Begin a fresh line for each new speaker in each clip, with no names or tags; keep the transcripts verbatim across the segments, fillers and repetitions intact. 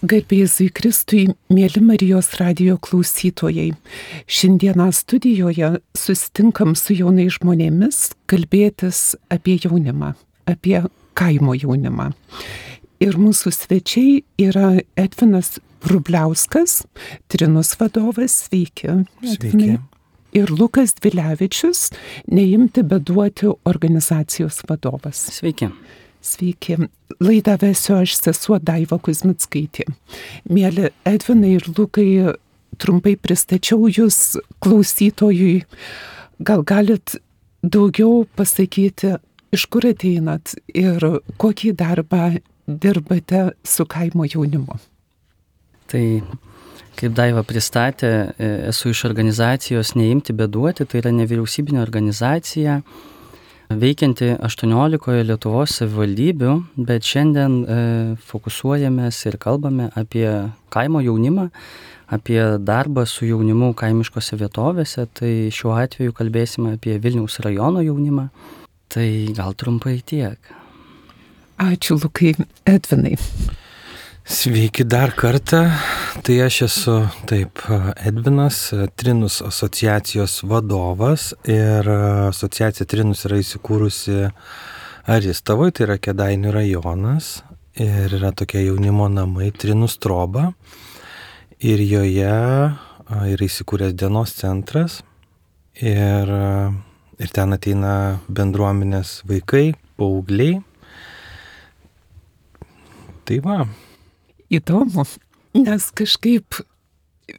Garbėzui Kristui, mėly Marijos radijo klausytojai. Šiandieną studijoje susitinkam su jaunais žmonėmis kalbėtis apie jaunimą, apie kaimo jaunimą. Ir mūsų svečiai yra Edvinas Vrubliauskas, Trinus vadovas, sveiki.
Sveiki.
Ir Lukas Dvilevičius, Neimti beduoti organizacijos vadovas.
Sveiki.
Sveiki. Laidą vesiu aš, sesuo Daiva Kuzmickaitė. Mėly Edvinai ir Lukai, trumpai pristačiau jūs klausytojui. Gal galit daugiau pasakyti, iš kur ateinat ir kokį darbą dirbate su kaimo jaunimu?
Tai, kaip Daiva pristatė, esu iš organizacijos Neimti beduoti, tai yra nevyriausybinė organizacija, veikianti aštuoniolikoje Lietuvos savivaldybių, bet šiandien e, fokusuojamės ir kalbame apie kaimo jaunimą, apie darbą su jaunimu kaimiškose vietovėse, tai šiuo atveju kalbėsime apie Vilniaus rajono jaunimą. Tai gal trumpai tiek.
Ačiū, Lukai. Edvinai.
Sveiki dar kartą. Tai aš esu taip Edvinas, Trinus asociacijos vadovas ir asociacija Trinus yra įsikūrusi Aristavoje, tai yra Kėdainių rajonas ir yra tokie jaunimo namai Trinus Troba ir joje yra įsikūręs dienos centras ir, ir ten ateina bendruomenės vaikai, paaugliai. Tai va.
Įdomu, nes kažkaip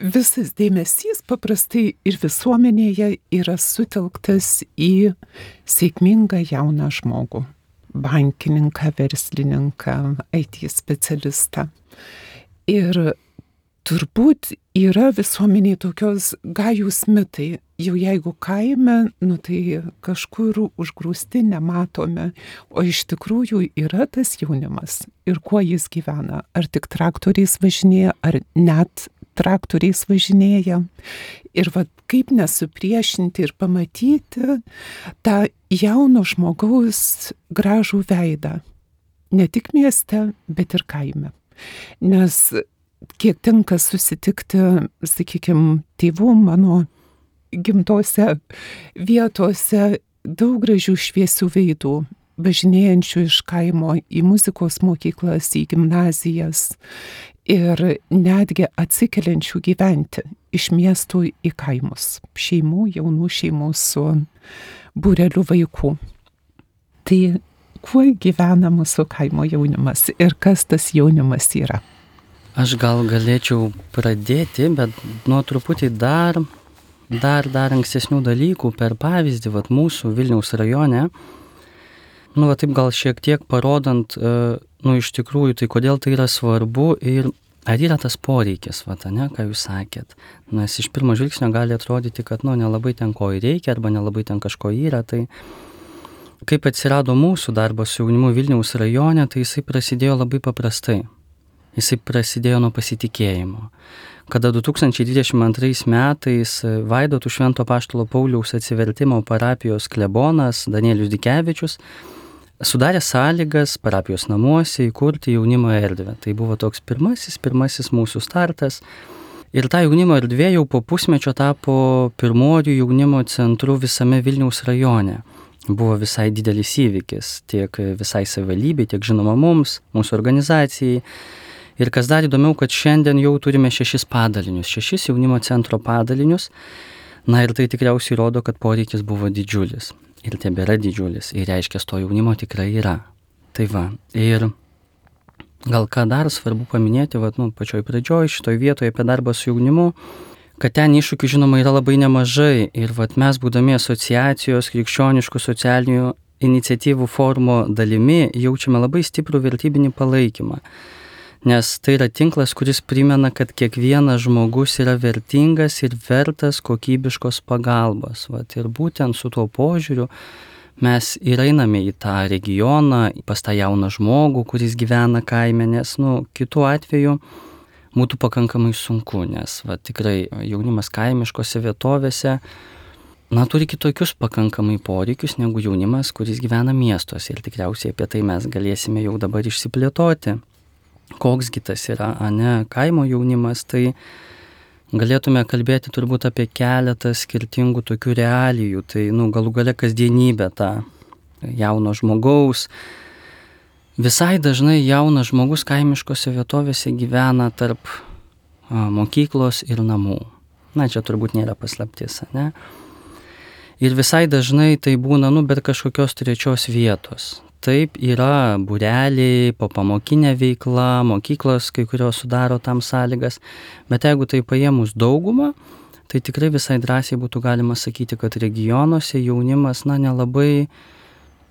visas dėmesys paprastai ir visuomenėje yra sutelktas į sėkmingą jauną žmogų, bankininką, verslininką, I T specialistą. Ir turbūt yra visuomeniai tokios gajūs mitai, jau jeigu kaime, nu tai kažkur užgrūsti, nematome, o iš tikrųjų yra tas jaunimas ir kuo jis gyvena, ar tik traktoriais važinėja, ar net traktoriais važinėja. Ir va, kaip nesupriešinti ir pamatyti tą jauno žmogaus gražų veidą, ne tik mieste, bet ir kaime. Nes kiek tenka susitikti, sakykime, tėvų mano gimtose vietose, daug gražių šviesių veidų, važinėjančių iš kaimo į muzikos mokyklas, į gimnazijas ir netgi atsikeliančių gyventi iš miestų į kaimus, šeimų, jaunų šeimų su būreliu vaikų. Tai kuo gyvena mūsų kaimo jaunimas ir kas tas jaunimas yra?
Aš gal galėčiau pradėti, bet nuo truputį dar, dar, dar ankstesnių dalykų per pavyzdį, vat mūsų Vilniaus rajone, nu, va taip gal šiek tiek parodant, nu, iš tikrųjų, tai kodėl tai yra svarbu ir ar yra tas poreikis, va, ne, ką jūs sakėt. Nes iš pirmo žvilgsnio gali atrodyti, kad, nu, nelabai ten ko reikia arba nelabai ten kažko yra, tai kaip atsirado mūsų darbas su jaunimu Vilniaus rajone, tai jisai prasidėjo labai paprastai. Jisai prasidėjo nuo pasitikėjimo. Kada du tūkstančiai dvidešimt antrais metais Vaidotų Švento Apaštalo Pauliaus atsivertimo parapijos klebonas Danielius Dikevičius sudarė sąlygas parapijos namuose įkurti jaunimo erdvę. Tai buvo toks pirmasis, pirmasis mūsų startas. Ir ta jaunimo erdvė jau po pusmečio tapo pirmojų jaunimo centru visame Vilniaus rajone. Buvo visai didelis įvykis tiek visai savivaldybei, tiek žinoma mums, mūsų organizacijai. Ir kas dar įdomiau, kad šiandien jau turime šešis padalinius, šešis jaunimo centro padalinius. Na ir tai tikriausiai rodo, kad poreikis buvo didžiulis. Ir tebėra didžiulis. Ir reiškia, to jaunimo tikrai yra. Tai va. Ir gal ką dar svarbu paminėti, va, nu, pačioj pradžioj, šitoj vietoje apie darbą su jaunimu, kad ten iššūkių žinoma yra labai nemažai. Ir va, mes būdami asociacijos krikščioniškų socialinių iniciatyvų forumo dalimi jaučiame labai stiprų vertybinį palaikymą. Nes tai yra tinklas, kuris primena, kad kiekvienas žmogus yra vertingas ir vertas kokybiškos pagalbos. Vat, ir būtent su tuo požiūriu mes ir einame į tą regioną, pas tą jauną žmogų, kuris gyvena kaime, nes nu, kitu atveju būtų pakankamai sunku, nes vat, tikrai jaunimas kaimiškose vietovėse na, turi kitokius pakankamai poreikius negu jaunimas, kuris gyvena miestuose. Ir tikriausiai apie tai mes galėsime jau dabar išsiplėtoti. koksgi tas yra, ane, kaimo jaunimas, tai galėtume kalbėti turbūt apie keletą skirtingų tokių realijų, tai nu, galų gale kasdienybę tą jauno žmogaus. Visai dažnai jaunas žmogus kaimiškose vietovėse gyvena tarp a, mokyklos ir namų. Na, čia turbūt nėra paslaptis, ne? Ir visai dažnai tai būna, nu, bet kažkokios trečios vietos. Taip, yra būreliai, popamokinė veikla, mokyklos kai kurios sudaro tam sąlygas, bet jeigu tai paėmus daugumą, tai tikrai visai drąsiai būtų galima sakyti, kad regionuose jaunimas, na, nelabai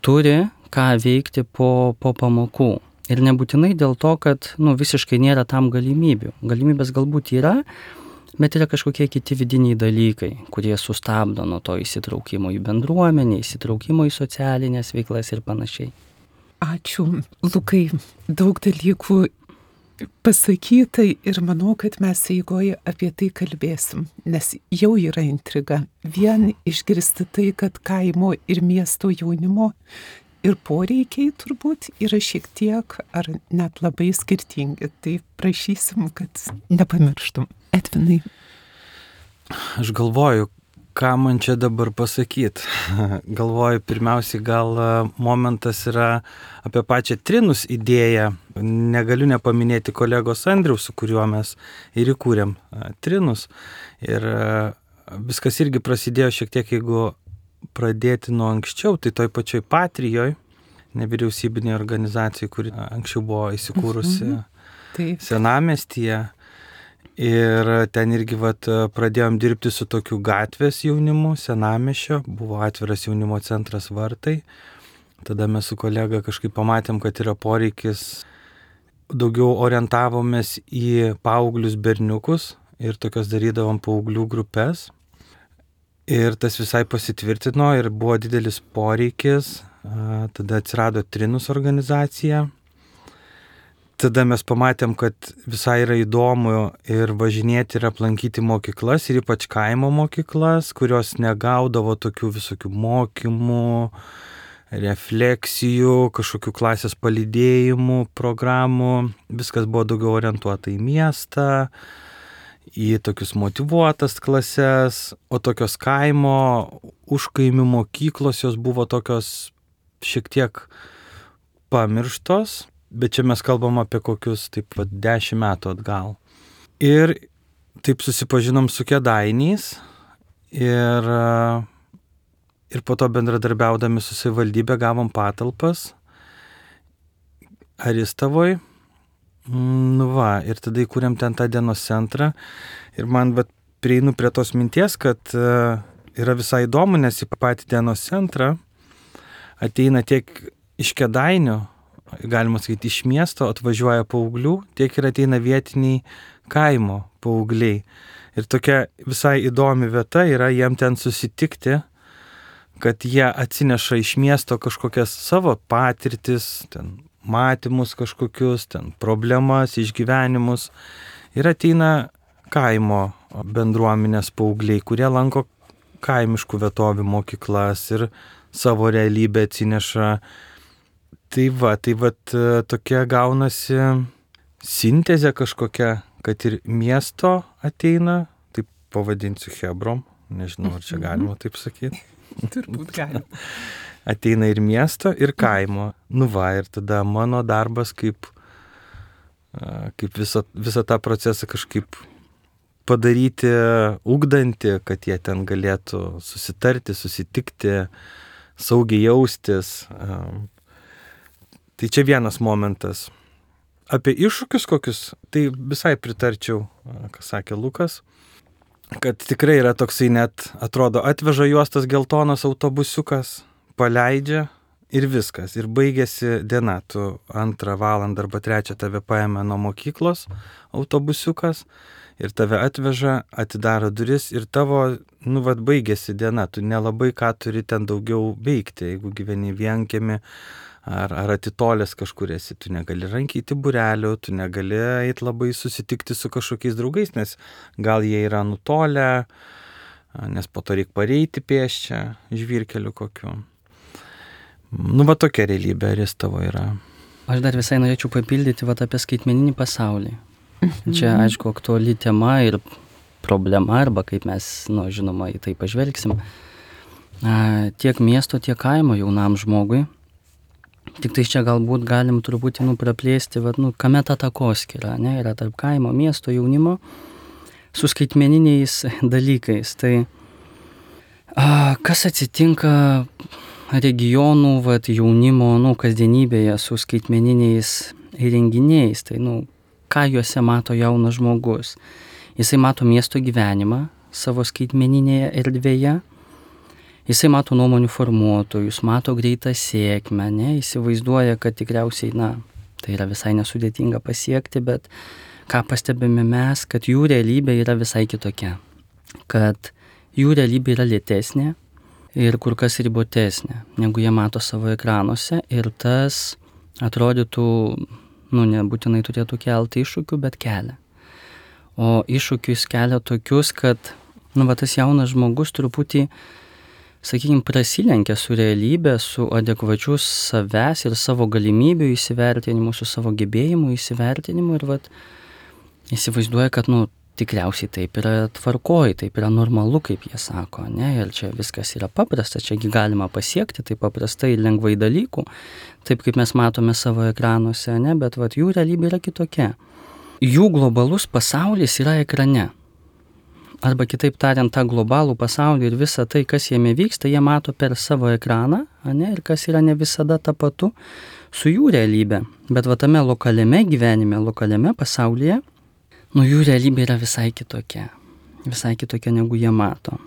turi ką veikti po, po pamokų. Ir nebūtinai dėl to, kad, nu, visiškai nėra tam galimybių. Galimybės galbūt yra, bet yra kažkokie kiti vidiniai dalykai, kurie sustabdo nuo to įsitraukimo į bendruomenę, įsitraukimo į socialinės veiklas ir panašiai.
Ačiū, Lukai. Daug dalykų pasakyta ir manau, kad mes eigoje apie tai kalbėsim, nes jau yra intriga. Vien išgirsti tai, kad kaimo ir miesto jaunimo ir poreikiai turbūt yra šiek tiek ar net labai skirtingi. Tai prašysim, kad nepamirštum. Edvinai.
Aš galvoju, ką man čia dabar pasakyti. Galvoju, pirmiausiai gal momentas yra apie pačią Trinus idėją. Negaliu nepaminėti kolegos Andriaus, su kuriuo mes ir įkūrėm Trinus. Ir viskas irgi prasidėjo šiek tiek, jeigu pradėti nuo anksčiau, tai toj pačioj Patrijoj, nevyriausybinė organizacija, kuri anksčiau buvo įsikūrusi mhm. senamiestyje. Ir ten irgi vat, pradėjom dirbti su tokiu gatvės jaunimu, senamiesčio, buvo atviras jaunimo centras Vartai. Tada mes su kolega kažkaip pamatėm, kad yra poreikis, daugiau orientavomės į paauglius berniukus ir tokios darydavom paauglių grupės. Ir tas visai pasitvirtino ir buvo didelis poreikis, tada atsirado Trinus organizacija. Tada mes pamatėm, kad visai yra įdomu ir važinėti ir aplankyti mokyklas, ir ypač kaimo mokyklas, kurios negaudavo tokių visokių mokymų, refleksijų, kažkokių klasės palydėjimų, programų. Viskas buvo daugiau orientuota į miestą, į tokius motyvuotas klases, o tokios kaimo, užkaimių mokyklos jos buvo tokios šiek tiek pamirštos. Bet čia mes kalbam apie kokius taip pat dešimt metų atgal. Ir taip susipažinom su Kėdainiais ir, ir po to bendradarbiaudami su savivaldybė gavom patalpas Aristavoj. Nu va, ir tada įkūrėm ten tą dienos centrą. Ir man vat, prieinu prie tos minties, kad yra visai įdomu, nes į patį dienos centrą ateina tiek iš Kėdainių, galima sakyti, iš miesto atvažiuoja paauglių, tiek ir ateina vietiniai kaimo paaugliai. Ir tokia visai įdomi vieta yra jiem ten susitikti, kad jie atsineša iš miesto kažkokias savo patirtis, ten matymus kažkokius, ten problemas, išgyvenimus. Ir ateina kaimo bendruomenės paaugliai, kurie lanko kaimiškų vietovių mokyklas ir savo realybę atsineša. Tai va, tai va tokia gaunasi sintezė kažkokia, kad ir miesto ateina, taip pavadinsiu hebrom, nežinau, ar čia galima taip sakyti.
Turbūt galima.
Ateina ir miesto, ir kaimo. Nu va, ir tada mano darbas kaip, kaip visą, visą tą procesą kažkaip padaryti ugdantį, kad jie ten galėtų susitarti, susitikti, saugiai jaustis. Tai čia vienas momentas. Apie iššūkius kokius, tai visai pritarčiau, ką sakė Lukas, kad tikrai yra toksai net, atrodo, atveža juos tas geltonas autobusiukas, paleidžia ir viskas. Ir baigėsi diena, tu antrą valandą arba trečią tave paėmė nuo mokyklos autobusiukas ir tave atveža, atidaro duris ir tavo, nu, vat baigėsi diena, tu nelabai ką turi ten daugiau veikti, jeigu gyveni vienkiemy. Ar, ar atitolęs kažkur esi, tu negali rankyti būrelių, tu negali eiti labai susitikti su kažkokiais draugais, nes gal jie yra nutolę, nes po to reikia pareiti pėsčią žvyrkeliu kokiu. Nu, va tokia realybė Aristavo yra.
Aš dar visai norėčiau papildyti vat, apie skaitmeninį pasaulį. Čia, aišku, aktuali tema ir problema, arba kaip mes, nu, žinoma, į tai pažvelgsim. A, tiek miesto, tiek kaimo jaunam žmogui. Tik tai čia galbūt galim truputį, nu, praplėsti, vat, nu, kame ta takoskyra, ne, yra tarp kaimo, miesto, jaunimo su skaitmeniniais dalykais. Tai a, kas atsitinka regionų, vat, jaunimo, nu, kasdienybėje su skaitmeniniais įrenginiais, tai, nu, ką juose mato jaunas žmogus. Jisai mato miesto gyvenimą savo skaitmeninėje erdvėje, jisai mato nuomonių formuotojus, mato greitą sėkmę, ne, įsivaizduoja, kad tikriausiai, na, tai yra visai nesudėtinga pasiekti, bet ką pastebime mes, kad jų realybė yra visai kitokia, kad jų realybė yra lėtesnė ir kur kas ribotesnė, negu jie mato savo ekranuose, ir tas atrodytų, nu, nebūtinai turėtų kelti iššūkių, bet kelia. O iššūkius kelia tokius, kad, nu, va, tas jaunas žmogus truputį, sakykime, prasilenkia su realybė, su adekvačiu savęs ir savo galimybių įsivertinimu, su savo gebėjimu įsivertinimu, ir, vat, įsivaizduoja, kad, nu, tikriausiai taip yra tvarkoj, taip yra normalu, kaip jie sako, ne, ir čia viskas yra paprasta, čiagi galima pasiekti taip paprastai ir lengvai dalykų, taip kaip mes matome savo ekranuose, ne, bet, vat, jų realybė yra kitokia. Jų globalus pasaulis yra ekrane. Arba kitaip tariant, tą globalų pasaulį ir visą tai, kas jame vyksta, jie mato per savo ekraną, ne, ir kas yra ne visada tapatu su jų realybė. Bet va tame lokaliame gyvenime, lokaliame pasaulyje, nu, jų realybė yra visai kitokia. Visai kitokia, negu jie mato.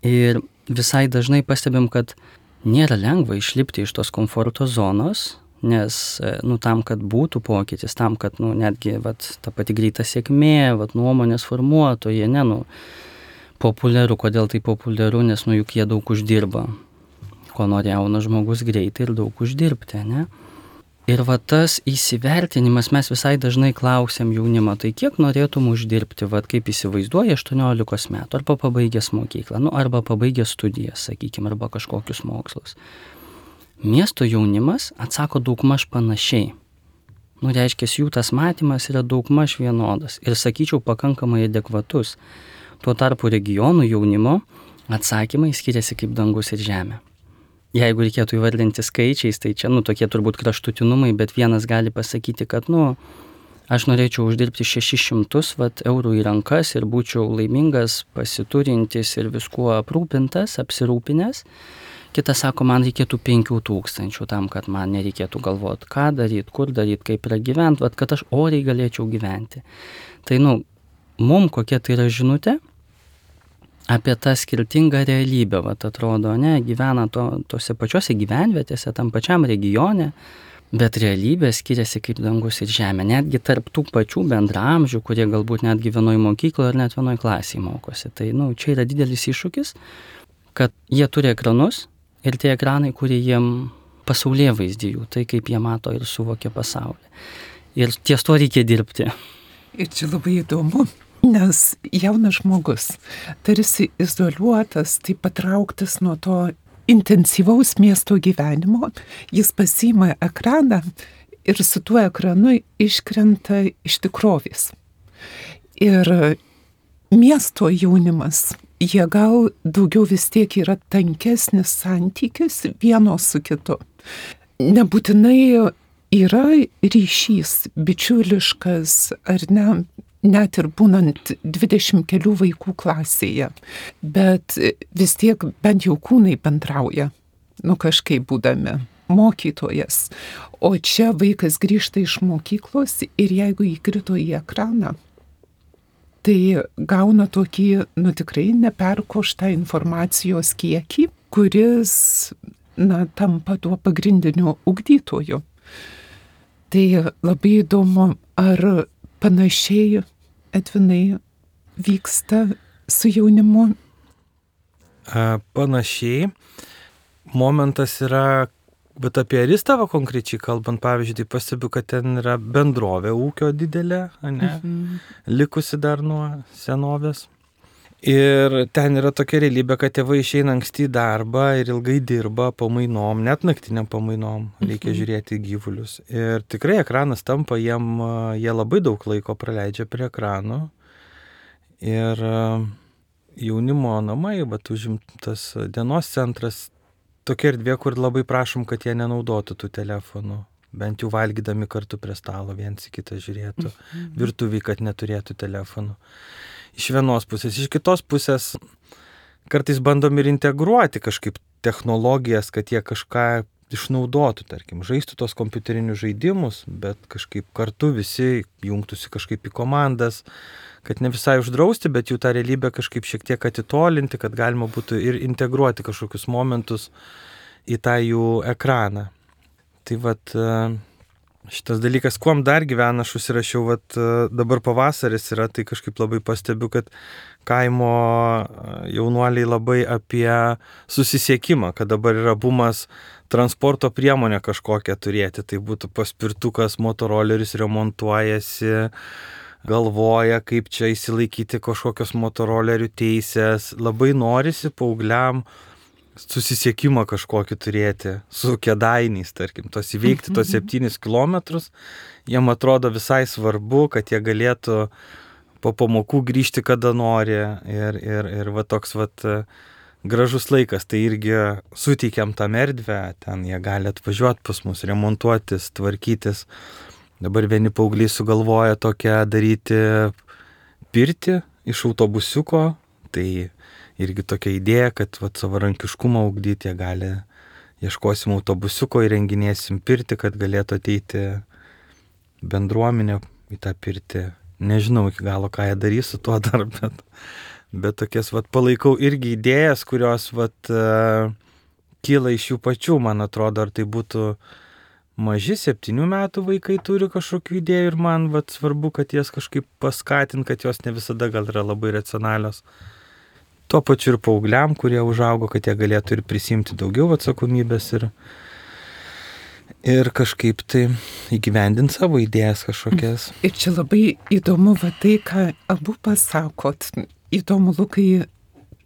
Ir visai dažnai pastebim, kad nėra lengva išlipti iš tos komforto zonos, nes, nu, tam, kad būtų pokytis, tam, kad, nu, netgi, vat, ta pati greita sėkmė, vat, nuomonės formuotojai, ne, nu, populiaru, kodėl tai populiaru, nes, nu, juk jie daug uždirba, ko nori jaunas žmogus greitai ir daug uždirbti, ne. Ir va tas įsivertinimas, mes visai dažnai klausiam jaunimą, tai kiek norėtum uždirbti, vat, kaip įsivaizduoja aštuoniolikos metų, arba pabaigęs mokyklą, nu, arba pabaigęs studijas, sakykime, arba kažkokius mokslus. Miesto jaunimas atsako daugmaž panašiai. Nu, reiškia, jų tas matymas yra daugmaž vienodas ir, sakyčiau, pakankamai adekvatus. Tuo tarpu regionų jaunimo atsakymai skiriasi kaip dangus ir žemė. Jeigu reikėtų įvardinti skaičiais, tai čia, nu, tokie turbūt kraštutinumai, bet vienas gali pasakyti, kad, nu, aš norėčiau uždirbti šešis šimtus vat, eurų į rankas ir būčiau laimingas, pasiturintis ir viskuo aprūpintas, apsirūpinęs. Kitas sako, man reikėtų penkių tūkstančių tam, kad man nereikėtų galvoti, ką daryti, kur daryti, kaip yra gyventi, vat, kad aš oriai galėčiau gyventi. Tai, nu, mum kokia tai yra žinutė apie tą skirtingą realybę, vat, atrodo, ne, gyvena to, tose pačiose gyvenvietėse, tam pačiam regione, bet realybė skiriasi kaip dangus ir žemė, netgi tarp tų pačių bendraamžių, kurie galbūt netgi vienoj mokykloje ar net vienoj klasėje mokosi. Tai, nu, čia yra didelis iššūkis, kad jie turi ekranus, ir tie ekranai, kurie jiem pasaulyje vaizdijų, tai kaip jie mato ir suvokia pasaulį. Ir ties to reikia dirbti.
Ir čia labai įdomu, nes jaunas žmogus tarsi izoliuotas, tai patrauktas nuo to intensyvaus miesto gyvenimo, jis pasiima ekraną ir su tuo ekranu iškrenta iš tikrovės. Ir miesto jaunimas, jie gal daugiau vis tiek yra tankesnis santykis vieno su kitu. Nebūtinai yra ryšys bičiuliškas ar ne, net ir būnant dvidešimt kelių vaikų klasėje, bet vis tiek bent jau kūnai bendrauja, nu kažkaip būdami mokytojas. O čia vaikas grįžta iš mokyklos ir jeigu įkrito į ekraną, tai gauna tokį, nu tikrai neperkoštą informacijos kiekį, kuris, na, tampa tuo pagrindiniu ugdytoju. Tai labai įdomu, ar panašiai, Edvinai, vyksta su jaunimu?
Panašiai. Momentas yra, bet apie Aristavo konkrečiai kalbant, pavyzdžiui, tai pastebiu, kad ten yra bendrovė ūkio didelė, ne, mhm. likusi dar nuo senovės. Ir ten yra tokia realybė, kad tėvai išeina anksti į darbą ir ilgai dirba pamainom, net naktiniam pamainom, reikia mhm. žiūrėti gyvulius. Ir tikrai ekranas tampa jiem, jie labai daug laiko praleidžia prie ekranų. Ir jaunimo namai, bet užimtas dienos centras, tokia erdvė, kur labai prašom, kad jie nenaudotų tų telefonų. Bent jau valgydami kartu prie stalo, viens į kitą žiūrėtų, mhm. virtuvį, kad neturėtų telefonų. Iš vienos pusės, iš kitos pusės kartais bandom ir integruoti kažkaip technologijas, kad jie kažką išnaudotų, tarkim, žaistų tos kompiuterinius žaidimus, bet kažkaip kartu visi jungtųsi kažkaip į komandas, kad ne visai uždrausti, bet jų tą realybę kažkaip šiek tiek atitolinti, kad galima būtų ir integruoti kažkokius momentus į tą jų ekraną. Tai vat šitas dalykas, kuom dar gyvena, aš užsirašiau, vat dabar pavasaris yra, tai kažkaip labai pastebiu, kad kaimo jaunuoliai labai apie susisiekimą, kad dabar yra bumas transporto priemonę kažkokią turėti, tai būtų paspirtukas, motoroleris remontuojasi, galvoja, kaip čia įsilaikyti kažkokios motorolerių teisės, labai norisi paaugliam susisiekimą kažkokį turėti su Kėdainiais, tarkim, tos įveikti tos septynis kilometrus, jiem atrodo visai svarbu, kad jie galėtų po pamokų grįžti kada nori ir, ir, ir va toks va gražus laikas, tai irgi suteikiam tam erdvę, ten jie gali atvažiuoti pas mus, remontuotis, tvarkytis. Dabar vieni paaugliai sugalvoja tokią daryti pirtį iš autobusiuko, tai irgi tokia idėja, kad vat, savarankiškumą ugdyti, jie gali, ieškosim autobusiuko, įrenginėsim pirtį, kad galėtų ateiti bendruomenė į tą pirtį. Nežinau iki galo, ką jie darys su tuo dar, bet, bet tokias vat, palaikau irgi idėjas, kurios vat, uh, kyla iš jų pačių, man atrodo, ar tai būtų maži septynių metų vaikai turi kažkokių idėjų ir man vat, svarbu, kad jas kažkaip paskatint, kad jos ne visada gal yra labai racionalios. Tuo pačiu ir paaugliam, kurie užaugo, kad jie galėtų ir prisimti daugiau atsakomybės ir, ir kažkaip tai įgyvendinti savo idėjas kažkokias.
Ir čia labai įdomu va tai, ką abu pasakot. Įdomu, Lukai,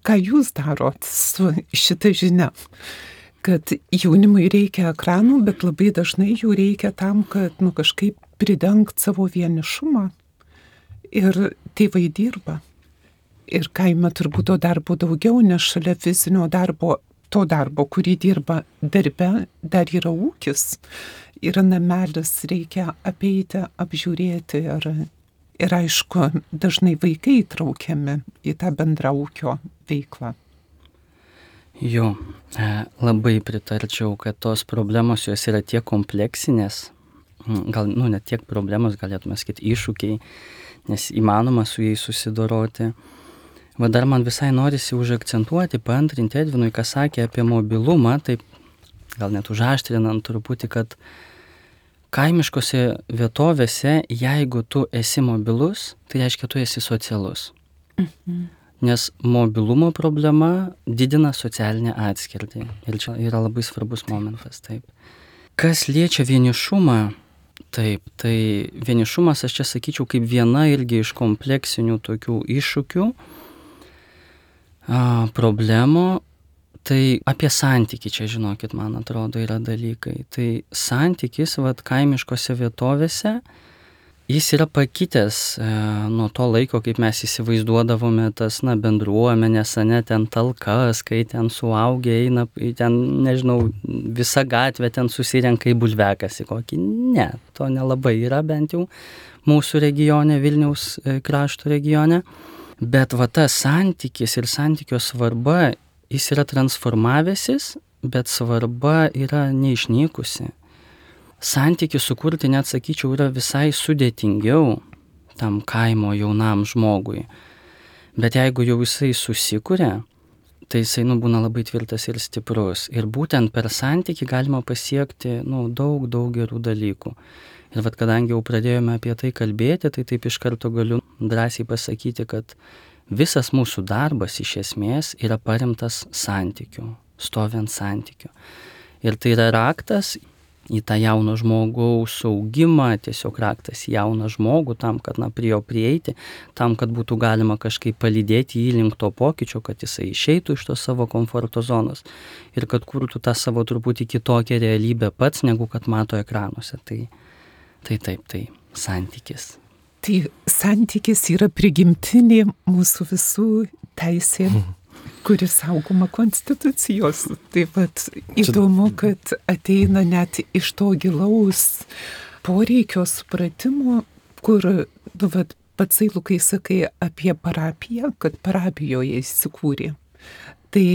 ką jūs darot su šita žinia. Kad jaunimui reikia ekranų, bet labai dažnai jų reikia tam, kad nu, kažkaip pridengti savo vienišumą. Ir tėvai dirba. Ir kaime turbūt to darbo daugiau, nes šalia fizinio darbo, to darbo, kurį dirba darbe, dar yra ūkis. Yra namelis, reikia apeiti, apžiūrėti ir, ir aišku, dažnai vaikai įtraukiami į tą bendrą ūkio veiklą.
Jo, labai pritarčiau, kad tos problemos jos yra tiek kompleksinės, gal, nu, ne tiek problemos, galėtume sakyti, iššūkiai, nes įmanoma su jais susidoroti. Va dar man visai norisi užakcentuoti, paantrinti Edvinui, ką sakė apie mobilumą, taip gal net užaštrinant truputį, kad kaimiškose vietovėse, jeigu tu esi mobilus, tai reiškia, tu esi socialus. Mhm. Nes mobilumo problema didina socialinę atskirtį. Ir čia yra labai svarbus momentas, taip. Kas liečia vienišumą, taip, tai vienišumas, aš čia sakyčiau, kaip viena irgi iš kompleksinių tokių iššūkių, A, problemų, tai apie santykį čia, žinokit, man atrodo, yra dalykai. Tai santykis, vat, kaimiškose vietovėse, jis yra pakitęs e, nuo to laiko, kaip mes įsivaizduodavome tas, na, bendruomenės, ne, ten talkas, kai ten suaugę eina, ten, nežinau, visa gatvė ten susirenka į bulvekasį kokį. Ne, to nelabai yra, bent jau mūsų regione, Vilniaus e, krašto regione. Bet va tas santykis ir santykio svarba, jis yra transformavęsis, bet svarba yra neišnykusi. Santykį sukurti, net sakyčiau, yra visai sudėtingiau tam kaimo jaunam žmogui. Bet jeigu jau jisai susikuria, tai jisai nu, būna labai tvirtas ir stiprus. Ir būtent per santykį galima pasiekti nu, daug, daug gerų dalykų. Ir vat, kadangi jau pradėjome apie tai kalbėti, tai taip iš karto galiu drąsiai pasakyti, kad visas mūsų darbas iš esmės yra paremtas santykiu, stovi ant santykiu. Ir tai yra raktas į tą jauno žmogaus augimą, tiesiog raktas į jauną žmogų, tam, kad na, prie jo prieiti, tam, kad būtų galima kažkaip palydėti jį link to pokyčio, kad jisai išeitų iš tos savo komforto zonos ir kad kurtų tą savo truputį kitokią realybę pats, negu kad mato ekranuose. Tai, tai taip, tai santykis.
Tai santykis yra prigimtinė mūsų visų teisė, kuris saugoma konstitucijos. Taip pat įdomu, kad ateina net iš to gilaus poreikio supratimo, kur, nu, vat, patsai Lukai sakai apie parapiją, kad parapijoje įsikūrė. Tai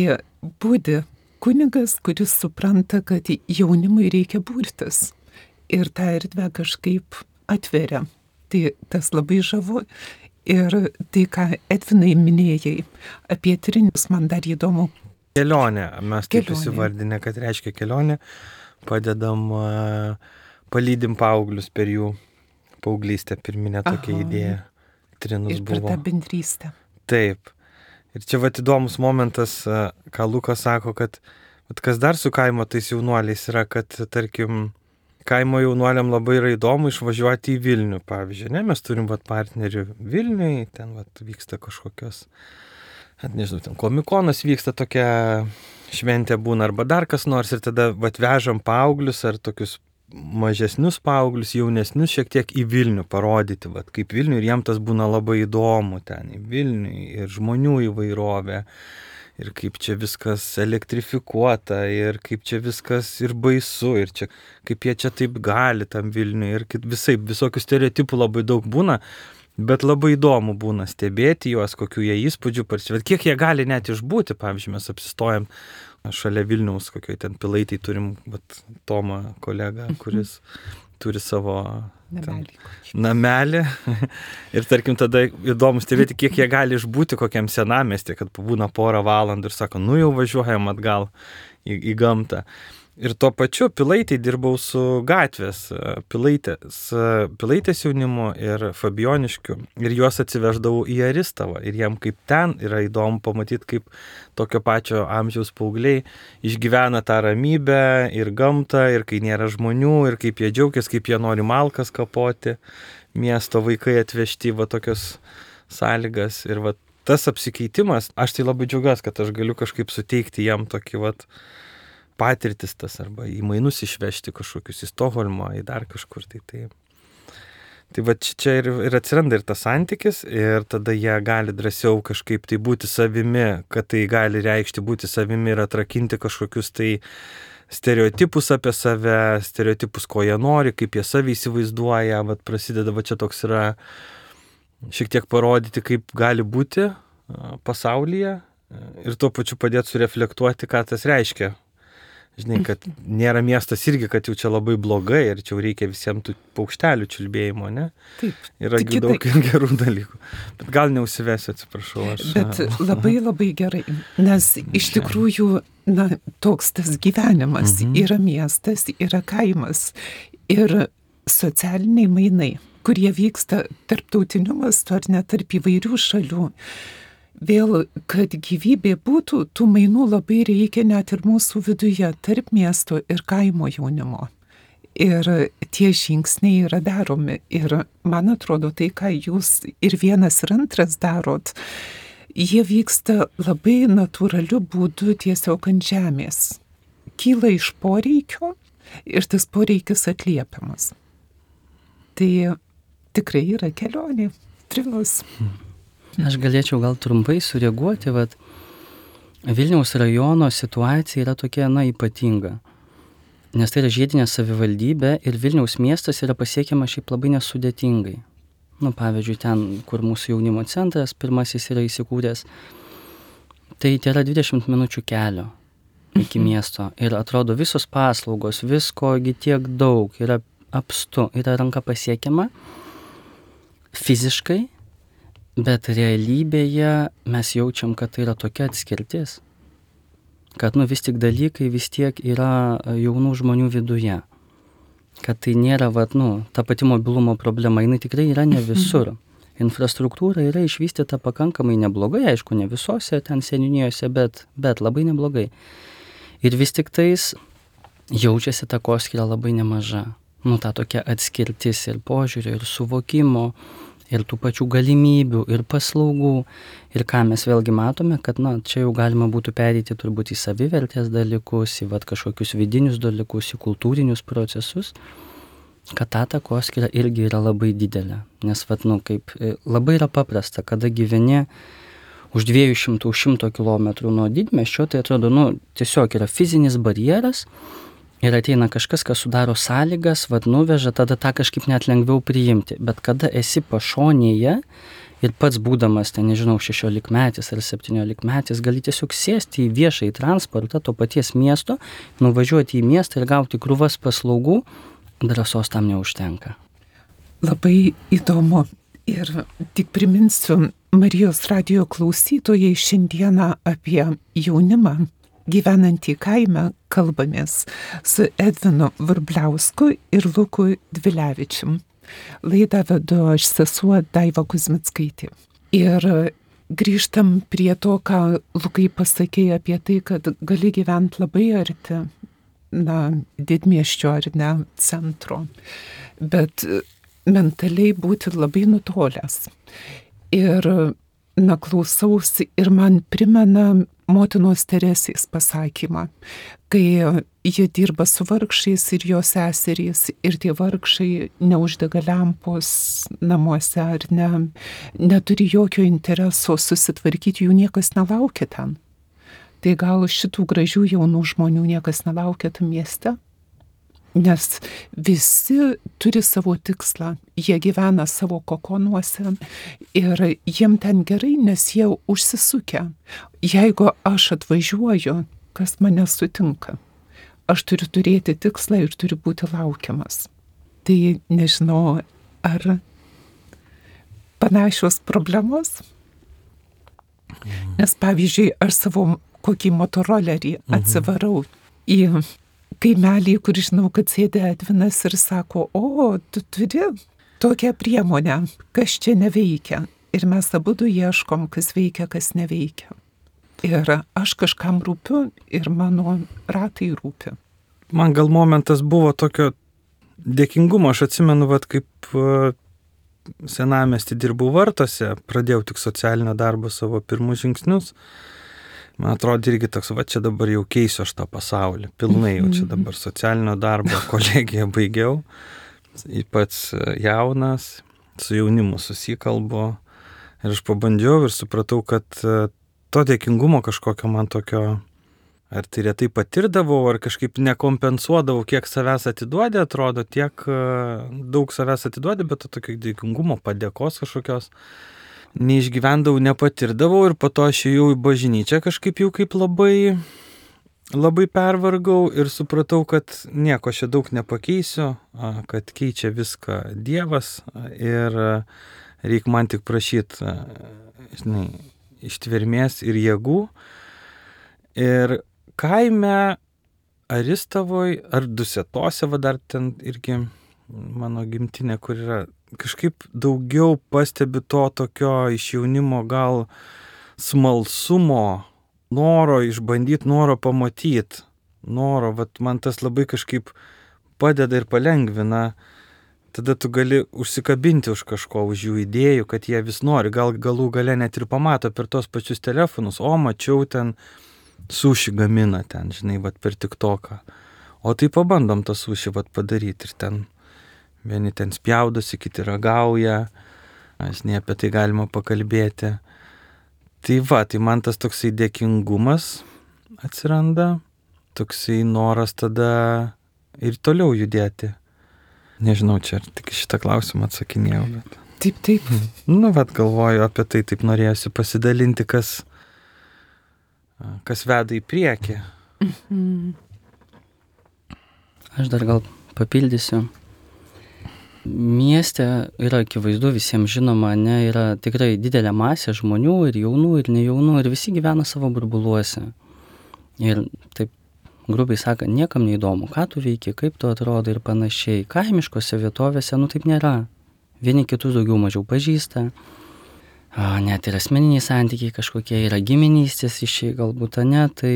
būdi kunigas, kuris supranta, kad jaunimui reikia burtis ir tą erdvę kažkaip atveria. Tai tas labai žavu. Ir tai, ką Edvinai minėjai apie trinius, man dar įdomu.
Kelionė, mes taip
Kelionė.
įsivardinę, kad reiškia kelionė, padedam, palydim paauglius per jų paauglystę, pirminė tokia
Aha.
idėja. Trinus
Ir per
buvo.
tą bendrystę.
Taip. Ir čia vat įdomus momentas, ką Lukas sako, kad vat kas dar su kaimo tais jaunuoliais yra, kad, tarkim, kaimo jaunuoliam labai yra įdomu išvažiuoti į Vilnių, pavyzdžiui, ne, mes turim vat partnerių Vilniui, ten vat vyksta kažkokios, net nežinau, ten komikonas vyksta, tokia šventė būna arba dar kas nors ir tada vat vežam paauglius ar tokius mažesnius paauglius, jaunesnius šiek tiek į Vilnių parodyti, vat kaip Vilnių ir jiem tas būna labai įdomu ten į Vilnių ir žmonių įvairovė. Ir kaip čia viskas elektrifikuota, ir kaip čia viskas ir baisu, ir čia, kaip jie čia taip gali tam Vilniui, ir visai, visokių stereotipų labai daug būna, bet labai įdomu būna stebėti juos, kokių jie įspūdžių parsiveža, kiek jie gali net išbūti, pavyzdžiui, mes apsistojam šalia Vilniaus, kokioj ten Pilaitėj turim vat, Tomą kolegą, kuris turi savo
Namelį.
namelį. Ir tarkim tada įdomu stebėti, kiek jie gali išbūti kokiam senamiestį, kad pabūna porą valandų ir sako, nu jau važiuojam atgal į, į gamtą. Ir tuo pačiu Pilaitėj dirbau su gatvės Pilaitės, Pilaitės jaunimu ir Fabioniškiu. Ir juos atsiveždavau į Aristavą. Ir jiem kaip ten yra įdomu pamatyti, kaip tokio pačio amžiaus paaugliai išgyvena tą ramybę ir gamtą, ir kai nėra žmonių, ir kaip jie džiaugiasi, kaip jie nori malkas kapoti. Miesto vaikai atvežti va tokios sąlygas. Ir va tas apsikeitimas, aš tai labai džiaugiuosi, kad aš galiu kažkaip suteikti jam tokį va patirtis tas, arba į mainus išvežti kažkokius į Stokholmą, į dar kažkur. Tai, tai. tai va čia ir, ir atsiranda ir tas santykis, ir tada jie gali drąsiau kažkaip tai būti savimi, kad tai gali reikšti būti savimi ir atrakinti kažkokius tai stereotipus apie save, stereotipus, ko jie nori, kaip jie savį įsivaizduoja. Va prasideda, va čia toks yra šiek tiek parodyti, kaip gali būti pasaulyje ir tuo pačiu padėti sureflektuoti, ką tas reiškia. Žinai, kad nėra miestas irgi, kad jau čia labai blogai ir čia jau reikia visiems tų paukštelių čiulbėjimo, ne?
Taip.
Yra
Tik
daug
taip.
gerų dalykų. Bet gal neužsivesiu, atsiprašau. Aš...
Bet labai labai gerai, nes iš tikrųjų, na, toks tas gyvenimas,
Mhm.
yra miestas, yra kaimas ir socialiniai mainai, kurie vyksta tarptautiniu mastu ar net tarp įvairių šalių. Vėl, kad gyvybė būtų, tų mainų labai reikia net ir mūsų viduje, tarp miesto ir kaimo jaunimo. Ir tie žingsniai yra daromi. Ir man atrodo, tai, ką jūs ir vienas ir antras darot, jie vyksta labai natūraliu būdu tiesiog ant žemės. Kyla iš poreikio ir tas poreikis atliepiamas. Tai tikrai yra kelionė, Trinus.
Aš galėčiau gal trumpai sureaguoti, vat Vilniaus rajono situacija yra tokia, na, ypatinga. Nes tai yra žiedinė savivaldybė ir Vilniaus miestas yra pasiekiama šiaip labai nesudėtingai. Nu, pavyzdžiui, ten, kur mūsų jaunimo centras pirmasis yra įsikūręs, tai tai yra dvidešimt minučių kelio iki miesto. Ir atrodo visos paslaugos, viskogi tiek daug, yra apstu, yra ranka pasiekiama fiziškai, bet realybėje mes jaučiam, kad tai yra tokia atskirtis, kad nu, vis tik dalykai vis tiek yra jaunų žmonių viduje. Kad tai nėra, vat, nu, ta pati mobilumo problema, jinai tikrai yra ne visur. Infrastruktūra yra išvystyta pakankamai neblogai, aišku, ne visose ten seniūnijose, bet, bet labai neblogai. Ir vis tik tais jaučiasi takoskyra labai nemaža. Nu, ta tokia atskirtis ir požiūrio, ir suvokimo, ir tų pačių galimybių, ir paslaugų. Ir ką mes vėlgi matome, kad, na, čia jau galima būtų pereiti turbūt į savivertės dalykus, į vat, kažkokius vidinius dalykus, į kultūrinius procesus, kad ta takoskyra irgi yra labai didelė. Nes, vat, nu, kaip labai yra paprasta, kada gyveni už dviejų šimtų šimto kilometrų nuo didmiesčio, tai atrodo, nu, tiesiog yra fizinis barjeras ir ateina kažkas, kas sudaro sąlygas, vat, nuveža, tada tą kažkaip net lengviau priimti. Bet kada esi pašonėje ir pats būdamas, ten, nežinau, šešiolikmetis ar septyniolikmetis, gali tiesiog sėsti į viešąjį transportą to paties miesto, nuvažiuoti į miestą ir gauti krūvas paslaugų, drąsos tam neužtenka.
Labai įdomu. Ir tik priminsiu Marijos radijo klausytojai, šiandieną apie jaunimą gyvenantį kaime kalbamės su Edvinu Vrubliausku ir Luku Dvilevičium. Laidą vedu aš, sesuo Daiva Kuzmickaitė. Ir grįžtam prie to, ką Lukai pasakė apie tai, kad gali gyventi labai arti, na, didmiesčio ar ne centro, bet mentaliai būti labai nutolęs. Ir, na, klausausi ir man primena motinos Teresės pasakymą, kai jie dirba su vargšais ir jos seserys, ir tie vargšai neuždega lempos namuose ar ne, neturi jokio intereso susitvarkyti, jų niekas nelaukia ten. Tai gal šitų gražių jaunų žmonių niekas nelaukia tam mieste? Nes visi turi savo tikslą, jie gyvena savo kokonuose ir jiem ten gerai, nes jie užsisukę. Jeigu aš atvažiuoju, kas mane sutinka, aš turiu turėti tikslą ir turiu būti laukiamas. Tai nežinau, ar panašios problemos? Nes pavyzdžiui, aš savo kokį motorolerį atsivarau į kaimelį, kur žinau, kad sėdė Edvinas ir sako, o, tu turi tokią priemonę, kas čia neveikia. Ir mes abudu ieškom, kas veikia, kas neveikia. Ir aš kažkam rūpiu ir mano ratai rūpi.
Man gal momentas buvo tokio dėkingumo, aš atsimenu, vat, kaip senamiestį dirbau Vartuose, pradėjau tik socialinio darbo savo pirmus žingsnius. Man atrodo irgi toks, va čia dabar jau keisiu aš tą pasaulį, pilnai jau čia dabar socialinio darbo kolegiją baigiau, ypač jaunas, su jaunimu susikalbu ir aš pabandžiau ir supratau, kad to dėkingumo kažkokio man tokio, ar tai retai patirdavau, ar kažkaip nekompensuodavau, kiek savęs atiduodė, atrodo, tiek daug savęs atiduodė, bet to tokio dėkingumo, padėkos kažkokios neišgyvendavau, nepatirdavau ir po to aš ėjau į bažnyčią kažkaip jau kaip labai, labai pervargau ir supratau, kad nieko čia daug nepakeisiu, kad keičia viską Dievas ir reikia man tik prašyti, žinai, ištvermės ir jėgų. Ir kaime Aristavoj ar Dusetose, va dar ten irgi mano gimtinė, kur yra, kažkaip daugiau pastebiu to tokio iš jaunimo gal smalsumo, noro išbandyti, noro pamatyti, noro, vat man tas labai kažkaip padeda ir palengvina, tada tu gali užsikabinti už kažko, už jų idėjų, kad jie vis nori, gal galų gale net ir pamato per tos pačius telefonus, o mačiau ten suši gamina ten, žinai, vat per TikToką, o tai pabandom tą suši vat padaryti ir ten vieni ten spjaudosi, kiti ragauja, aš ne apie tai galima pakalbėti. Tai va, tai man tas toksai dėkingumas atsiranda, toksai noras tada ir toliau judėti. Nežinau, čia tik šitą klausimą atsakinėjau. Bet...
Taip, taip.
Nu, vat galvoju apie tai, taip norėjusi pasidalinti, kas, kas veda į priekį.
Mhm.
Aš dar gal papildysiu. Mieste yra akivaizdu, visiems žinoma, ne, yra tikrai didelė masė žmonių ir jaunų, ir nejaunų, ir visi gyvena savo burbuluose. Ir taip, grubiai sakant, niekam neįdomu, ką tu veiki, kaip tu atrodo ir panašiai. Kaimiškose vietovėse, nu taip nėra. Vieni kitus daugiau mažiau pažįsta. net ir asmeniniai santykiai kažkokie, yra giminystės ryšiai galbūt, ne, tai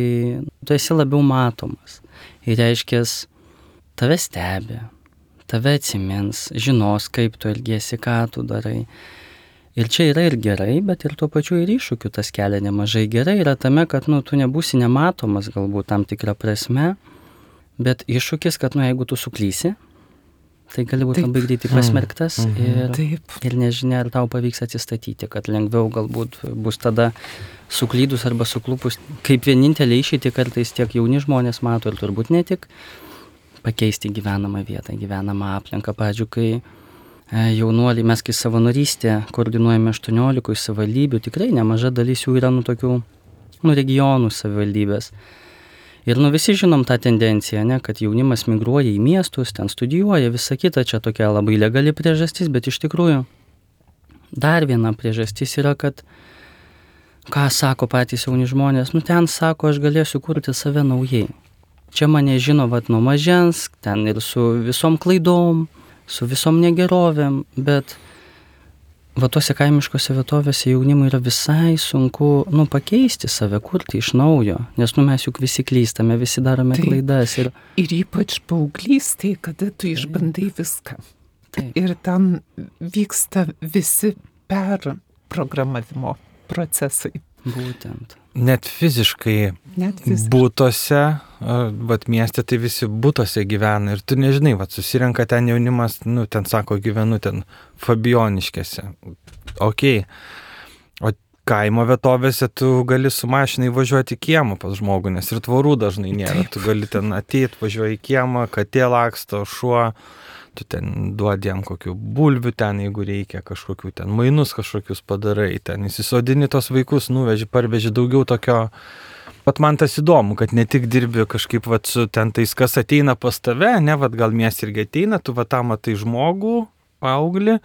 tu esi labiau matomas. Ir reiškia, tave stebi, tave atsimins, žinos, kaip tu elgiesi, ką tu darai. Ir čia yra ir gerai, bet ir tuo pačiu ir iššūkių tas kelia nemažai. Gerai yra tame, kad nu, tu nebūsi nematomas galbūt tam tikrą prasme, bet iššūkis, kad nu, jeigu tu suklysi, tai gali būti labai greitai pasmerktas mm. ir, Taip. ir nežinia, ar tau pavyks atsistatyti, kad lengviau galbūt bus tada suklydus arba suklupus, kaip vienintelė išeitį kartais tiek jauni žmonės mato ir turbūt ne tik pakeisti gyvenamą vietą, gyvenamą aplinką. Pavyzdžiui, kai jaunuoliai, mes kai savanorystę koordinuojame aštuoniolikoje savivaldybių, tikrai nemaža dalis jų yra nu tokių nu, regionų savivaldybės. Ir nu visi žinom tą tendenciją, ne, kad jaunimas migruoja į miestus, ten studijuoja, visa kita, čia tokia labai legali priežastis, bet iš tikrųjų dar viena priežastis yra, kad ką sako patys jauni žmonės, nu ten sako, aš galėsiu kurti save naujai. Čia mane žino vat nuo mažens, ten ir su visom klaidom, su visom negerovėm, bet va tuose kaimiškose vietovėse jaunimui yra visai sunku, nu, pakeisti save, kurti iš naujo, nes, nu, mes juk visi klystame, visi darome Taip. klaidas. Ir,
ir ypač paauglystėje, kada tu išbandai viską. Taip. Ir ten vyksta visi perprogramavimo procesai.
Būtent.
Net fiziškai,
Net fiziškai.
būtose, vat mieste tai visi būtose gyvena ir tu nežinai, vat susirenka ten jaunimas, nu ten sako, gyvenu ten Fabioniškėse. Ok. O kaimo vietovėse tu gali su mašinai važiuoti į kiemą pas žmogų, nes ir tvorų dažnai nėra. Taip. Tu gali ten ateit, važiuoji į kiemą, katė laksto, šuo, tu ten duodi jam kokių bulvių ten, jeigu reikia, kažkokių ten mainus kažkokius padarai, ten įsisodini tos vaikus, nuveži, parveži daugiau tokio. Pat man tas įdomu, kad ne tik dirbi kažkaip vat su ten tais, kas ateina pas tave, ne, vat gal mies irgi ateina, tu vat tam matai žmogų, paauglį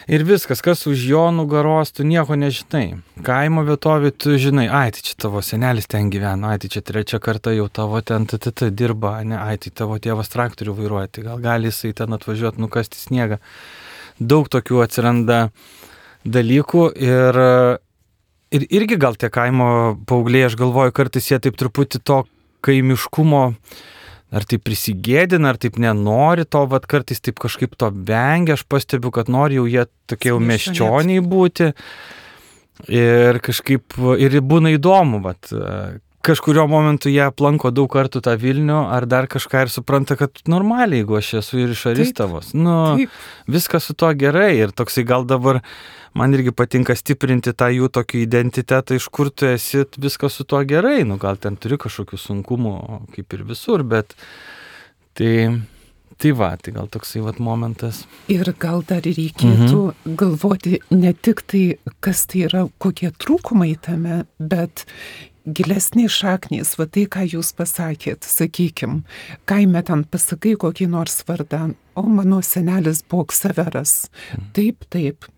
ir viskas, kas už jo nugaros, tu nieko nežinai. Kaimo vietovė tu žinai, ai, tai čia tavo senelis ten gyvena, ai, tai čia trečią kartą jau tavo ten t, t, t, dirba, ne, ai, tai tavo tėvas traktorių vairuoja, tai gal gali jisai ten atvažiuoti, nukasti sniegą. Daug tokių atsiranda dalykų ir, ir irgi gal tie kaimo paaugliai, aš galvoju, kartais jie taip truputį to kaimiškumo ar taip prisigėdina, ar taip nenori to, vat kartais taip kažkaip to vengia, aš pastebiu, kad nori jau jie tokie jau miesčioniai būti ir kažkaip, ir būna įdomu, vat kažkurio momentu jie aplanko daug kartų tą Vilnių, ar dar kažką ir supranta, kad normaliai, jeigu aš esu ir iš Aristavos, nu, taip. Viskas su to gerai ir toksai gal dabar man irgi patinka stiprinti tą jų tokį identitetą, iš kur tu esi, viskas su to gerai, nu gal ten turi kažkokių sunkumų, kaip ir visur, bet tai, tai va, tai gal toksai vat momentas.
Ir gal dar reikėtų mhm. galvoti ne tik tai, kas tai yra, kokie trūkumai tame, bet gilesnės šaknys, va tai, ką jūs pasakėt, sakykim, kaime ten pasakai kokį nors vardą, o mano senelis buvo Ksaveras. Mhm. Taip, taip.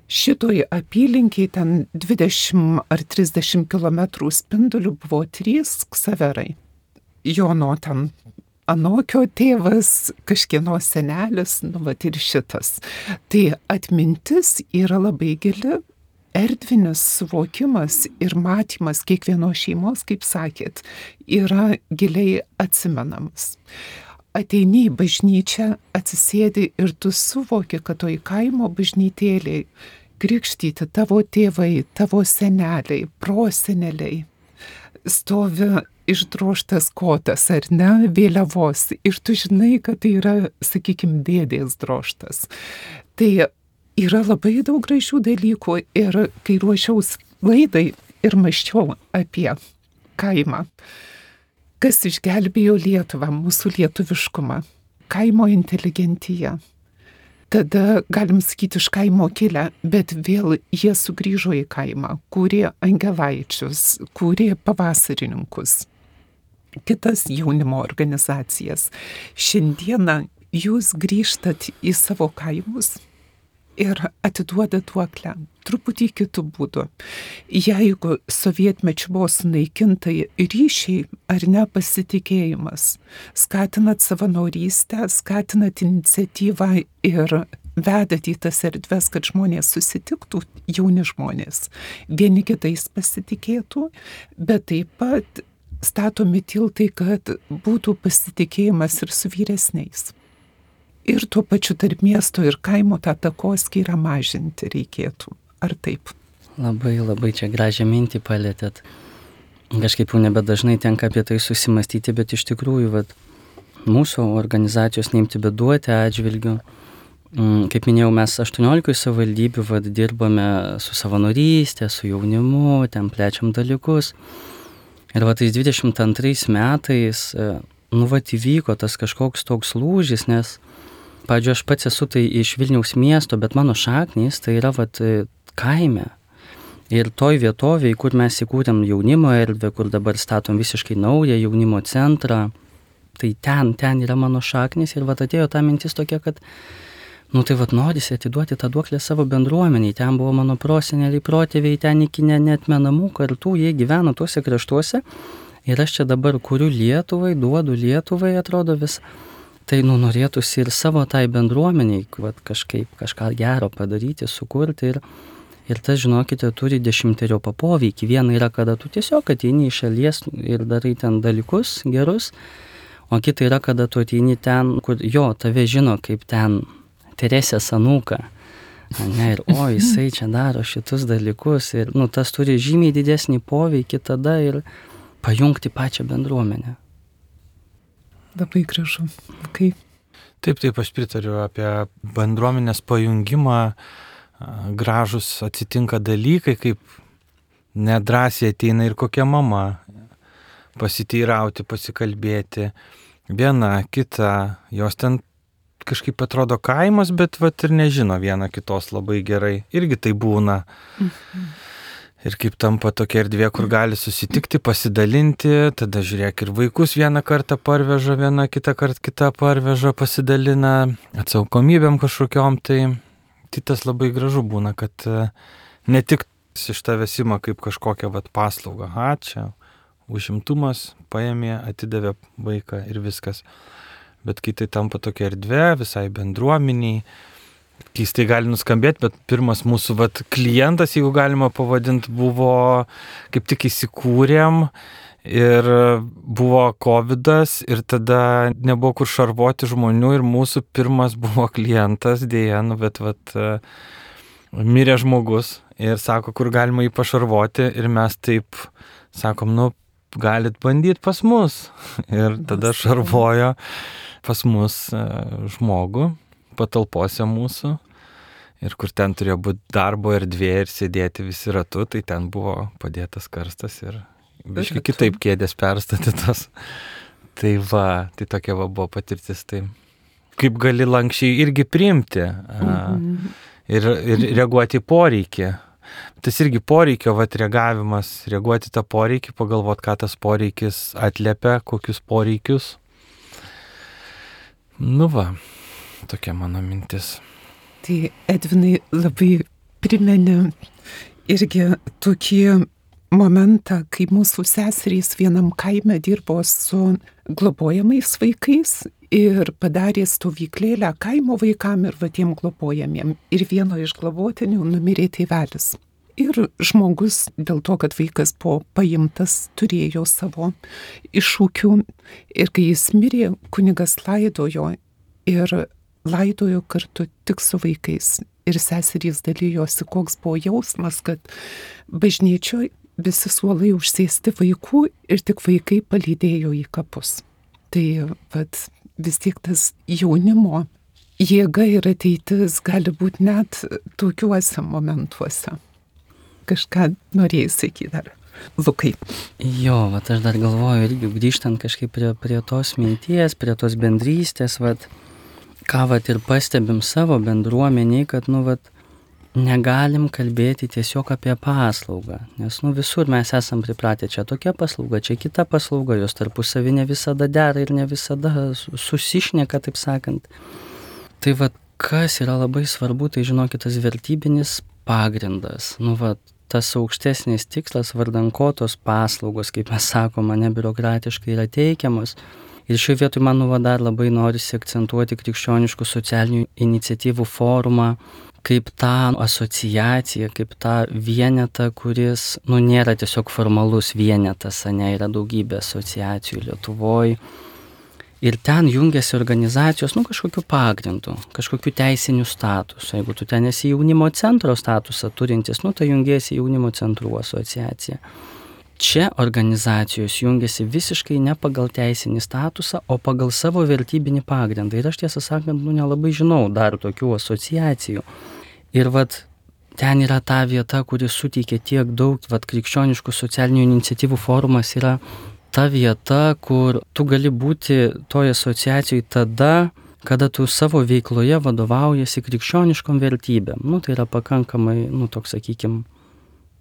Šitoj apylinkiai ten dvidešimt ar trisdešimt kilometrų spindulių buvo trys Ksaverai. Jono ten anokio tėvas, kažkieno senelis, nu vat ir šitas. Tai atmintis yra labai gili, erdvinis suvokimas ir matymas kiekvienos šeimos, kaip sakėt, yra giliai atsimenamas. Ateini į bažnyčią, atsisėdi ir tu suvoki, kad toj kaimo bažnytėliai krikštyti tavo tėvai, tavo seneliai, proseneliai. Stovi išdrožtas kotas, ar ne, vėliavos. Ir tu žinai, kad tai yra, sakykime, dėdės drožtas. Tai yra labai daug gražių dalykų ir kai ruošiaus laidai ir mąsčiau apie kaimą. Kas išgelbėjo Lietuvą, mūsų lietuviškumą? Kaimo inteligentija. Tada, galim sakyti, iš kaimo kilę, bet vėl jie sugrįžo į kaimą, kūrė angelaičius, kūrė pavasarininkus, kitas jaunimo organizacijas. Šiandieną jūs grįžtat į savo kaimus ir atiduoda duoklę, truputį kitų būdų. Jeigu sovietmečiu buvo sunaikinta ryšiai ar nepasitikėjimas, skatinat savanorystę, skatinat iniciatyvą ir vedat į tas erdves, kad žmonės susitiktų, jauni žmonės, vieni kitais pasitikėtų, bet taip pat statomi tiltai, kad būtų pasitikėjimas ir su vyresniais. Ir tuo pačiu tarp miesto ir kaimo tą takoskyrą mažinti reikėtų. Ar taip?
Labai, labai čia gražią mintį palėtėt. Kažkaip jau nebedažnai tenka apie tai susimastyti, bet iš tikrųjų, vat, mūsų organizacijos neimti beduoti atžvilgių. Kaip minėjau, mes aštuoniolikoje savivaldybių vat, dirbame su savanorystė, su jaunimu, ten plečiam dalykus. Ir va tais dvidešimt antrais metais, nu vat įvyko tas kažkoks toks lūžis, nes, pavyzdžiui, aš pats esu tai iš Vilniaus miesto, bet mano šaknys tai yra vat kaime. Ir toj vietovėje, kur mes įkūrėm jaunimo erdvę, kur dabar statom visiškai naują jaunimo centrą, tai ten, ten yra mano šaknys ir vat atėjo ta mintis tokia, kad nu tai vat norisi atiduoti tą duoklę savo bendruomeniai, ten buvo mano proseneliai, protėviai, ten iki ne, neatmenamų kartų, jie gyveno tuose kraštuose ir aš čia dabar kuriu Lietuvai, duodu Lietuvai, atrodo vis. Tai nu norėtųsi ir savo tai bendruomeniai vat, kažkaip kažką gero padaryti, sukurti ir, ir tas, žinokite, turi dešimteriopą poveikį. Viena yra, kada tu tiesiog ateini iš šalies ir darai ten dalykus gerus, o kita yra, kada tu ateini ten, kur jo, tave žino kaip ten Teresės anūką. Ne, ir o, jisai čia daro šitus dalykus ir nu, tas turi žymiai didesnį poveikį tada ir pajungti pačią bendruomenę.
Labai gražu. Kaip?
Taip, taip, aš pritariu apie bendruomenės pajungimą. Gražus atsitinka dalykai, kaip nedrąsiai ateina ir kokia mama pasiteirauti, pasikalbėti. Viena, kita, jos ten kažkaip atrodo kaimas, bet vat ir nežino viena kitos labai gerai. Irgi tai būna. Mhm. Ir kaip tampa tokia erdvė, kur gali susitikti, pasidalinti, tada žiūrėk ir vaikus vieną kartą parveža, vieną kitą kartą kitą parveža, pasidalina atsakomybėm kažkokiom, tai, tai tas labai gražu būna, kad ne tik iš tavęs ima kaip kažkokią vat, paslaugą, ha, čia užimtumas, paėmė, atidavė vaiką ir viskas, bet kai tai tampa tokia erdvė visai bendruomeniai, keistai gali nuskambėti, bet pirmas mūsų vat, klientas, jeigu galima pavadinti, buvo kaip tik įsikūrėm ir buvo kovidas ir tada nebuvo kur šarvoti žmonių ir mūsų pirmas buvo klientas, dėja, nu, bet vat, mirė žmogus ir sako, kur galima jį pašarvoti ir mes taip sakom, nu, galit bandyti pas mus ir tada šarvojo pas mus žmogų patalpose mūsų ir kur ten turėjo būti darbo erdvė ir sėdėti visi ratu, tai ten buvo padėtas karstas ir biškai kitaip kėdės perstatytos. Tai va, tai tokia va buvo patirtis. Tai kaip gali lankščiai irgi priimti mhm. ir, ir reaguoti į poreikį. Tas irgi poreikio vat, reagavimas, reaguoti tą poreikį, pagalvoti, ką tas poreikis atliepia, kokius poreikius. Nu va. Tokia mano mintis.
Tai Edvinai labai primeni irgi tokį momentą, kai mūsų seserys vienam kaime dirbo su globojamais vaikais ir padarė stovyklėlę kaimo vaikam ir va tiem globojamiem. Ir vieno iš globotinių numirė tėvelis. Ir žmogus dėl to, kad vaikas buvo paimtas, turėjo savo iššūkių. Ir kai jis mirė, kunigas laidojo ir laidojo kartu tik su vaikais. Ir seserys dalyjosi, koks buvo jausmas, kad bažnyčioje visi suolai užsėsti vaikų ir tik vaikai palydėjo į kapus. Tai vat, vis tiek tas jaunimo jėga ir ateitis gali būti net tokiuose momentuose. Kažką norėjai sakyti dar. Lukai.
Jo, vat aš dar galvoju irgi grįžtant kažkaip prie, prie tos minties, prie tos bendrystės, vat, ką vat ir pastebim savo bendruomeniai, kad nu vat negalim kalbėti tiesiog apie paslaugą, nes nu visur mes esam pripratę, čia tokia paslauga, čia kita paslauga, jos tarpusavy ne visada dera ir ne visada susišneka, taip sakant. Tai vat kas yra labai svarbu, tai žinokit, tas vertybinis pagrindas, nu vat tas aukštesnis tikslas, vardan ko tos paslaugos, kaip mes sakome, nebiurokratiškai yra teikiamos. Ir šioje vietoje man nu, va, dar labai norisi akcentuoti krikščioniškų socialinių iniciatyvų forumą kaip tą asociaciją, kaip tą vienetą, kuris nu, nėra tiesiog formalus vienetas, ne, yra daugybė asociacijų Lietuvoje. Ir ten jungiasi organizacijos, nu, kažkokiu pagrindu, kažkokiu teisiniu statusu. Jeigu tu ten esi jaunimo centro statusą turintis, nu, tai jungiasi jaunimo centrų asociacija. Čia organizacijos jungiasi visiškai ne pagal teisinį statusą, o pagal savo vertybinį pagrindą. Ir aš tiesą sakant, nu, nelabai žinau dar tokių asociacijų. Ir vat ten yra ta vieta, kuri suteikia tiek daug, vat krikščioniškų socialinių iniciatyvų forumas yra ta vieta, kur tu gali būti toje asociacijoje tada, kada tu savo veikloje vadovaujasi krikščioniškom vertybėm. Nu, tai yra pakankamai, nu, toks, sakykime,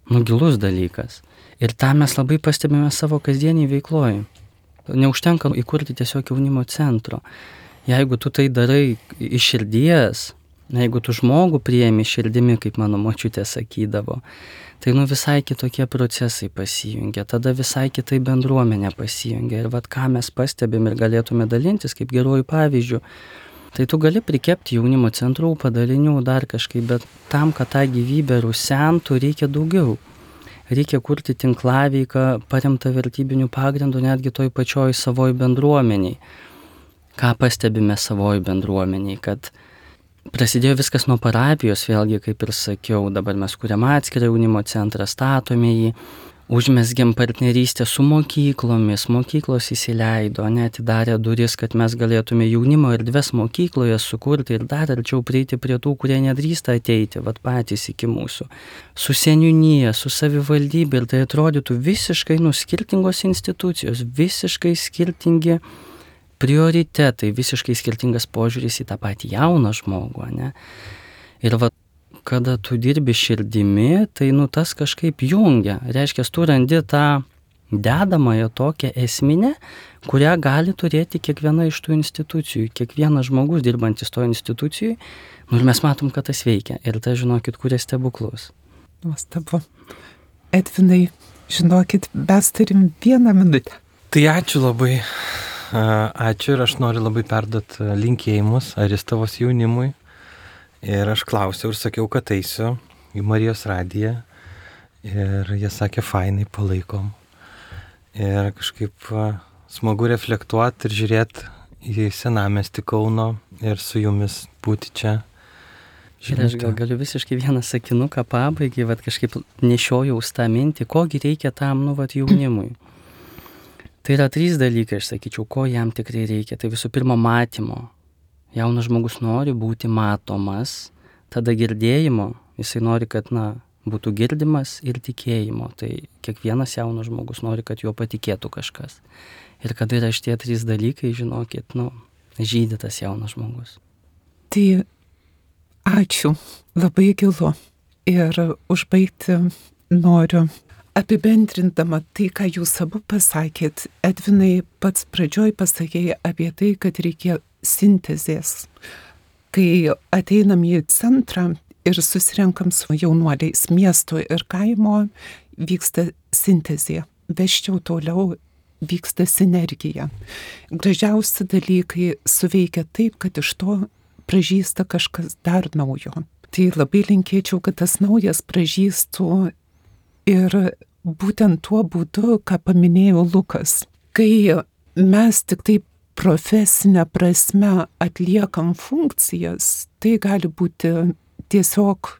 nu, gilus dalykas. Ir tą mes labai pastebime savo kasdienį veikloje. Neužtenka įkurti tiesiog jaunimo centro. Jeigu tu tai darai iš širdies, jeigu tu žmogų priemi širdimi, kaip mano močiutė sakydavo, tai nu visai kitokie procesai pasijungia, tada visai kitai bendruomenė pasijungia. Ir vat ką mes pastebim ir galėtume dalintis kaip geruoju pavyzdžiu, tai tu gali prikepti jaunimo centrų, padalinių, dar kažkaip, bet tam, kad tą gyvybę rusentų, reikia daugiau. Reikia kurti tinklaveiką, paremtą vertybinių pagrindų, netgi toj pačioj savoj bendruomeniai. Ką pastebime savoj bendruomeniai, kad prasidėjo viskas nuo parapijos, vėlgi, kaip ir sakiau, dabar mes kuriam atskirą jaunimo centrą, statome jį, užmesgėm partnerystę su mokyklomis, mokyklos įsileido, net atidarė duris, kad mes galėtume jaunimo erdves mokykloje sukurti ir dar arčiau prieiti prie tų, kurie nedrįsta ateiti, vat patys iki mūsų. Su seniūnija, su savivaldybė, ir tai atrodytų visiškai nu skirtingos institucijos, visiškai skirtingi prioritetai, visiškai skirtingas požiūris į tą patį jauną žmogų, ne? Ir va, kada tu dirbi širdimi, tai nu tas kažkaip jungia. Reiškia, tu randi tą dedamąją tokią esminę, kurią gali turėti kiekviena iš tų institucijų, kiekvienas žmogus dirbantis to institucijui, nu ir mes matom, kad tas veikia. Ir tai, žinokit, kuria stebuklus.
Nuostabu. Edvinai, žinokit, mes turim vieną minutę.
Tai ačiū labai. Ačiū ir aš noriu labai perduoti linkėjimus Aristovos jaunimui. Ir aš klausiau ir sakiau, kad eisiu į Marijos radiją. Ir jie sakė, fainai, palaikom. Ir kažkaip smagu reflektuoti ir žiūrėti į senamiestį Kauno ir su jumis būti čia.
Ir aš gal galiu visiškai vieną sakinuką pabaigai, vat kažkaip nešiojau tą mintį, kogi reikia tam, nu, vat jaunimui. Tai yra trys dalykai, aš sakyčiau, ko jam tikrai reikia. Tai visų pirma, matymo. Jaunas žmogus nori būti matomas, tada girdėjimo, jisai nori, kad na, būtų girdimas ir tikėjimo. Tai kiekvienas jaunas žmogus nori, kad juo patikėtų kažkas. Ir kada yra šitie trys dalykai, žinokit, nu, žydi tas jaunas žmogus.
Tai ačiū, labai gilu. Ir užbaigti noriu apibendrindama tai, ką jūs abu pasakėt. Edvinai, pats pradžioj pasakėjai apie tai, kad reikia sintezės. Kai ateinam į centrą ir susirenkam su jaunuoliais miesto ir kaimo, vyksta sintezė. Veščiau toliau vyksta sinergija. Gražiausi dalykai suveikia taip, kad iš to pražysta kažkas dar naujo. Tai labai linkėčiau, kad tas naujas pražystų ir būtent tuo būdu, ką paminėjo Lukas. Kai mes tik taip profesinę prasme atliekam funkcijas, tai gali būti tiesiog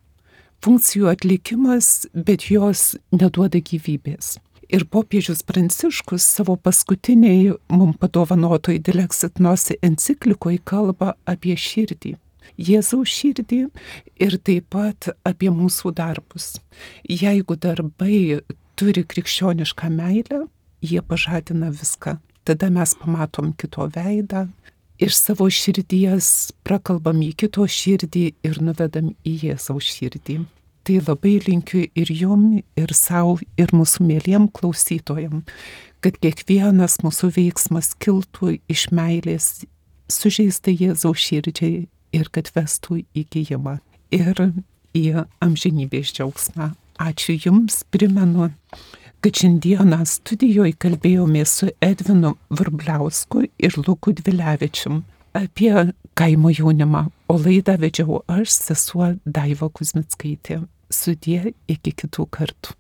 funkcijų atlikimas, bet jos neduoda gyvybės. Ir popiežius Pranciškus savo paskutiniai mums padovanotoj Dilexit Nobis enciklikoje kalba apie širdį. Jėzaus širdį ir taip pat apie mūsų darbus. Jeigu darbai turi krikščionišką meilę, jie pažadina viską. Tada mes pamatom kito veidą, iš savo širdies prakalbam į kito širdį ir nuvedam į Jėzaus širdį. Tai labai linkiu ir jum, ir savo, ir mūsų mėliem klausytojam, kad kiekvienas mūsų veiksmas kiltų iš meilės sužeista Jėzaus širdžiai ir kad vestų į gijimą ir į amžinybės džiaugsmą. Ačiū jums, primenu, kad šiandieną studijoje kalbėjomės su Edvinu Vrubliausku ir Luku Dvilevičium apie kaimo jaunimą, o laidą vedžiau aš, sesuo Daiva Kuzmickaitė. Sudie, iki kitų kartų.